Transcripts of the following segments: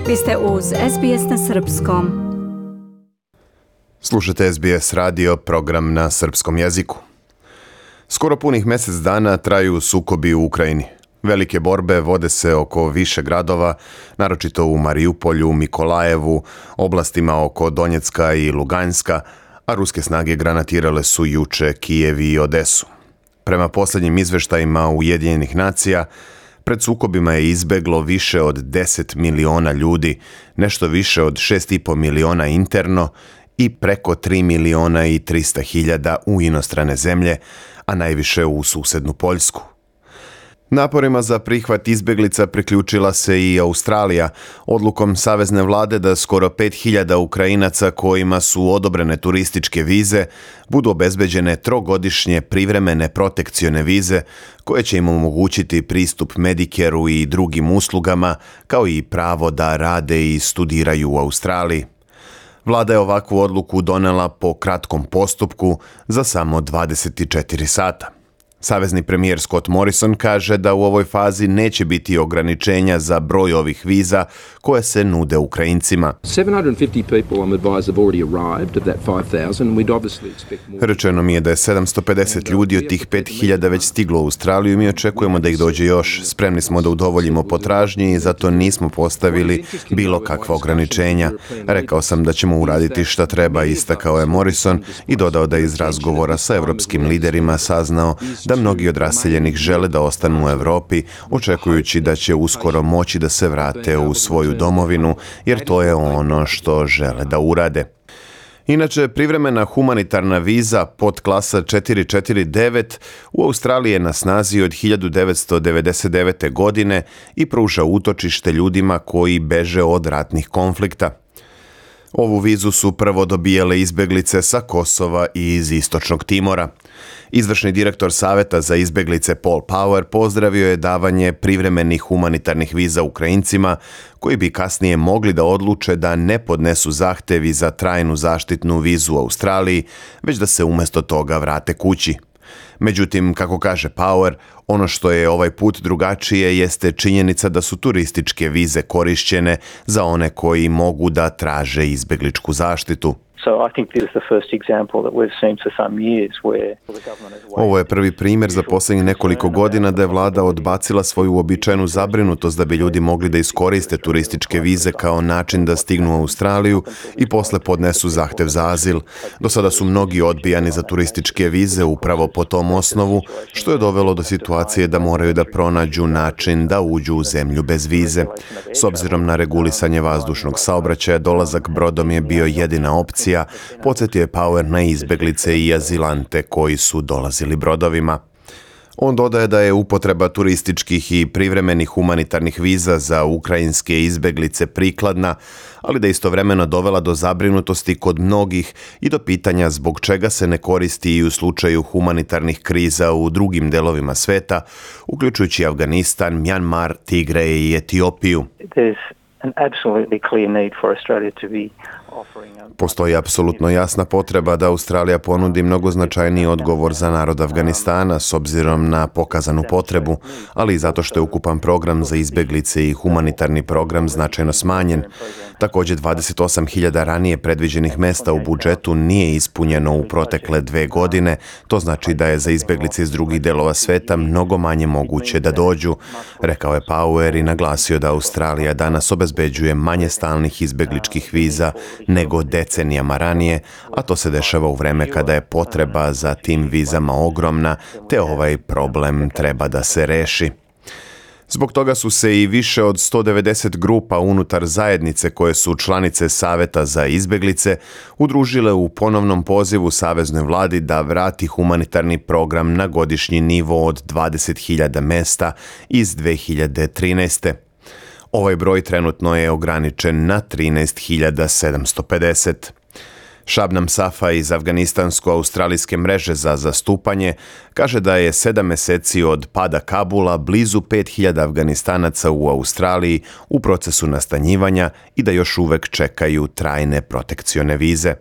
Vi ste uz SBS na Srpskom. Slušate SBS radio, program na srpskom jeziku. Skoro punih mjesec dana traju sukobi u Ukrajini. Velike borbe vode se oko više gradova, naročito u Mariupolju, Mikolajevu, oblastima oko Donjecka i Luganska, a ruske snage granatirale su juče Kijev i Odesu. Prema posljednjim izveštajima Ujedinjenih nacija, pred sukobima je izbeglo više od 10 miliona ljudi, nešto više od 6,5 miliona interno i preko 3 miliona i 300 hiljada u inostrane zemlje, a najviše u susednu Poljsku. Naporima za prihvat izbjeglica priključila se i Australija, odlukom savezne vlade da skoro 5.000 Ukrajinaca kojima su odobrene turističke vize budu obezbeđene trogodišnje privremene protekcione vize koje će im omogućiti pristup Medicareu i drugim uslugama, kao i pravo da rade i studiraju u Australiji. Vlada je ovakvu odluku donela po kratkom postupku za samo 24 sata. Savezni premijer Scott Morrison kaže da u ovoj fazi neće biti ograničenja za broj ovih viza koje se nude Ukrajincima. Rečeno mi je da je 750 ljudi od tih 5.000 već stiglo u Australiju i mi očekujemo da ih dođe još. Spremni smo da udovoljimo potražnji i zato nismo postavili bilo kakva ograničenja. Rekao sam da ćemo uraditi šta treba, istakao je Morrison i dodao da je iz razgovora sa evropskim liderima saznao da mnogi od raseljenih žele da ostanu u Europi, očekujući da će uskoro moći da se vrate u svoju domovinu, jer to je ono što žele da urade. Inače, privremena humanitarna viza podklasa 449 u Australiji je na snazi od 1999. godine i pruža utočište ljudima koji beže od ratnih konflikta. Ovu vizu su prvo dobijale izbjeglice sa Kosova i iz Istočnog Timora. Izvršni direktor Saveta za izbjeglice Paul Power pozdravio je davanje privremenih humanitarnih viza Ukrajincima koji bi kasnije mogli da odluče da ne podnesu zahtevi za trajnu zaštitnu vizu u Australiji, već da se umjesto toga vrate kući. Međutim, kako kaže Power, ono što je ovaj put drugačije jeste činjenica da su turističke vize korišćene za one koji mogu da traže izbjegličku zaštitu. Ovo je prvi primjer za posljednjih nekoliko godina da je vlada odbacila svoju uobičajenu zabrinutost da bi ljudi mogli da iskoriste turističke vize kao način da stignu u Australiju i posle podnesu zahtev za azil. Do sada su mnogi odbijani za turističke vize upravo po tom osnovu, što je dovelo do situacije da moraju da pronađu način da uđu u zemlju bez vize. S obzirom na regulisanje vazdušnog saobraćaja, dolazak brodom je bio jedina opcija. Podsjetio je Power na izbjeglice i azilante koji su dolazili brodovima. On dodaje da je upotreba turističkih i privremenih humanitarnih viza za ukrajinske izbjeglice prikladna, ali da istovremeno dovela do zabrinutosti kod mnogih i do pitanja zbog čega se ne koristi i u slučaju humanitarnih kriza u drugim delovima sveta, uključujući Afganistan, Mjanmar, Tigre i Etiopiju. Postoji apsolutno jasna potreba da Australija ponudi mnogo značajniji odgovor za narod Afganistana s obzirom na pokazanu potrebu, ali i zato što je ukupan program za izbjeglice i humanitarni program značajno smanjen. Također 28.000 ranije predviđenih mesta u budžetu nije ispunjeno u protekle 2 godine, to znači da je za izbjeglice iz drugih delova sveta mnogo manje moguće da dođu, rekao je Power i naglasio da Australija danas obezbeđuje manje stalnih izbjegličkih viza nego decenijama ranije, a to se dešava u vreme kada je potreba za tim vizama ogromna, te ovaj problem treba da se reši. Zbog toga su se i više od 190 grupa unutar zajednice koje su članice Saveta za izbjeglice udružile u ponovnom pozivu saveznoj vladi da vrati humanitarni program na godišnji nivo od 20.000 mesta iz 2013. Ovaj broj trenutno je ograničen na 13.750. Shabnam Safa iz afganistansko-australijske mreže za zastupanje kaže da je 7 mjeseci od pada Kabula blizu 5.000 Afganistanaca u Australiji u procesu nastanjivanja i da još uvek čekaju trajne protekcione vize.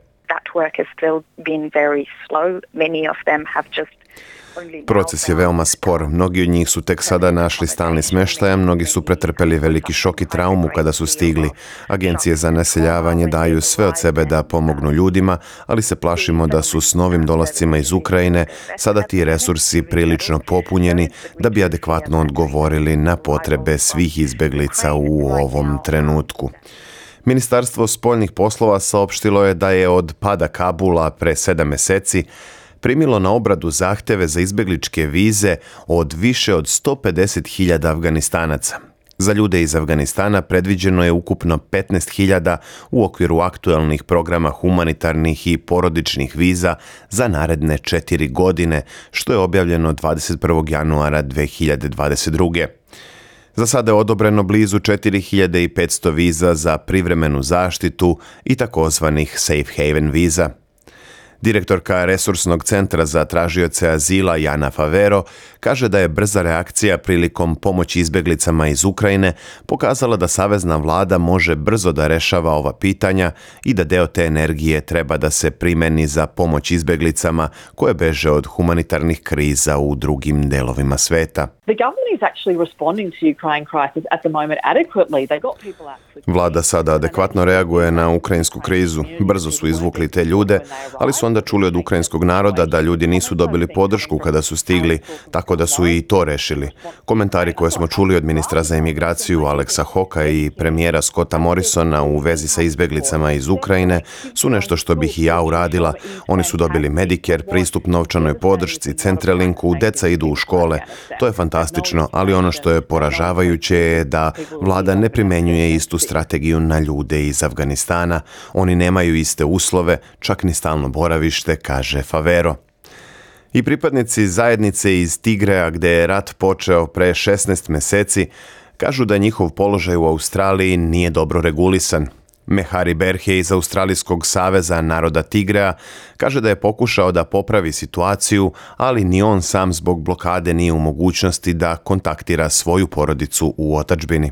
Proces je veoma spor. Mnogi od njih su tek sada našli stalni smještaj, a mnogi su pretrpeli veliki šok i traumu kada su stigli. Agencije za naseljavanje daju sve od sebe da pomognu ljudima, ali se plašimo da su s novim dolascima iz Ukrajine sada ti resursi prilično popunjeni da bi adekvatno odgovorili na potrebe svih izbjeglica u ovom trenutku. Ministarstvo spoljnih poslova saopštilo je da je od pada Kabula pre 7 mjeseci primilo na obradu zahtjeve za izbjegličke vize od više od 150.000 Afganistanaca. Za ljude iz Afganistana predviđeno je ukupno 15.000 u okviru aktualnih programa humanitarnih i porodičnih viza za naredne 4 godine, što je objavljeno 21. januara 2022. Za sada je odobreno blizu 4.500 viza za privremenu zaštitu i takozvanih safe haven viza. Direktorka Resursnog centra za tražioce azila Jana Favero kaže da je brza reakcija prilikom pomoći izbjeglicama iz Ukrajine pokazala da savezna vlada može brzo da rešava ova pitanja i da deo te energije treba da se primeni za pomoć izbjeglicama koje beže od humanitarnih kriza u drugim delovima sveta. Vlada sada adekvatno reaguje na ukrajinsku krizu. Brzo su izvukli te ljude, ali su onda čuli od ukrajinskog naroda da ljudi nisu dobili podršku kada su stigli, tako da su i to rešili. Komentari koje smo čuli od ministra za imigraciju Alexa Hawka i premijera Scotta Morrisona u vezi sa izbjeglicama iz Ukrajine su nešto što bih i ja uradila. Oni su dobili Medicare, pristup novčanoj podršci, Centrelinku, deca idu u škole. To je fantastično, ali ono što je poražavajuće je da vlada ne primenjuje istu strategiju na ljude iz Afganistana. Oni nemaju iste uslove, čak ni stalno boravište, kaže Favero. I pripadnici zajednice iz Tigreja, gdje je rat počeo pre 16 mjeseci, kažu da njihov položaj u Australiji nije dobro regulisan. Mehari Berhe iz Australijskog saveza naroda Tigreja kaže da je pokušao da popravi situaciju, ali ni on sam zbog blokade nije u mogućnosti da kontaktira svoju porodicu u otadžbini.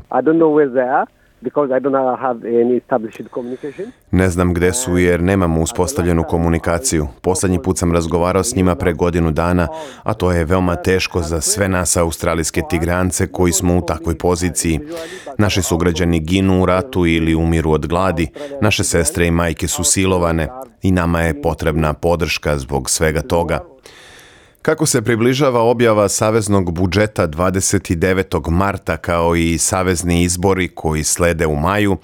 Ne znam gdje su jer nemamo uspostavljenu komunikaciju. Posljednji put sam razgovarao s njima pre godinu dana, a to je veoma teško za sve nas australijske Tigreance koji smo u takvoj poziciji. Naši sugrađani ginu u ratu ili umiru od gladi, naše sestre i majke su silovane i nama je potrebna podrška zbog svega toga. Kako se približava objava saveznog budžeta 29. marta kao i savezni izbori koji slede u maju,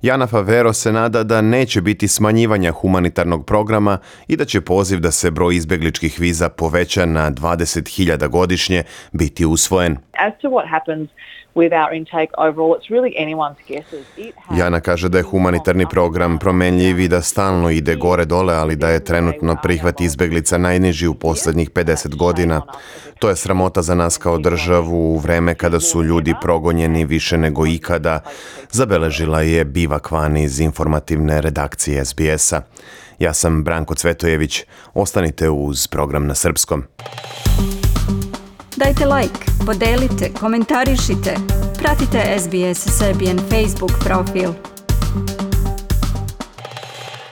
Jana Favero se nada da neće biti smanjivanja humanitarnog programa i da će poziv da se broj izbjegličkih viza poveća na 20.000 godišnje biti usvojen. Jana kaže da je humanitarni program promenljiv i da stalno ide gore-dole, ali da je trenutno prihvat izbjeglica najniži u posljednjih 50 godina. To je sramota za nas kao državu u vreme kada su ljudi progonjeni više nego ikada, zabeležila je Bivak Van iz informativne redakcije SBS-a. Ja sam Branko Cvetojević. Ostanite uz program na srpskom. Dajte like, podelite, komentarišite. Pratite SBS Serbian Facebook profil.